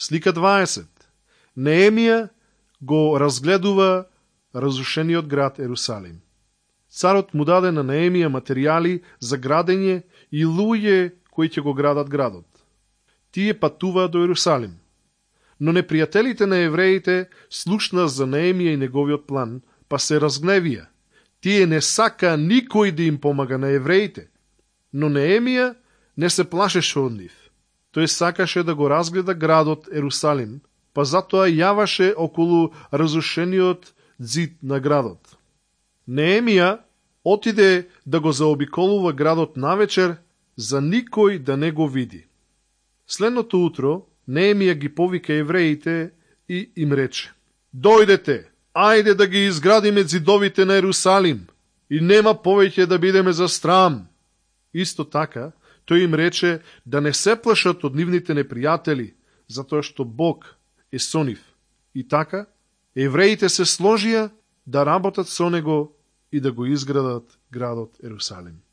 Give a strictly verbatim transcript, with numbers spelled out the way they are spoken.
Слика дваесет. Неемија го разгледува разрушениот град Ерусалим. Царот му даде на Неемија материјали за градење и луѓе кои ќе го градат градот. Тие патуваат до Ерусалим. Но непријателите на евреите слушна за Неемија и неговиот план, па се разгневија. Тие не сака никој да им помага на евреите. Но Неемија не се плашеше од нив. Тој сакаше да го разгледа градот Ерусалим, па затоа јаваше околу разрушениот ѕид на градот. Неемија отиде да го заобиколува градот навечер, за никој да не го види. Следното утро Неемија ги повика евреите и им рече: Дојдете, ајде да ги изградиме ѕидовите на Ерусалим и нема повеќе да бидеме за срам. Исто така, тој им рече да не се плашат од нивните непријатели, затоа што Бог е со нив. И така, евреите се сложија да работат со него и да го изградат градот Ерусалим.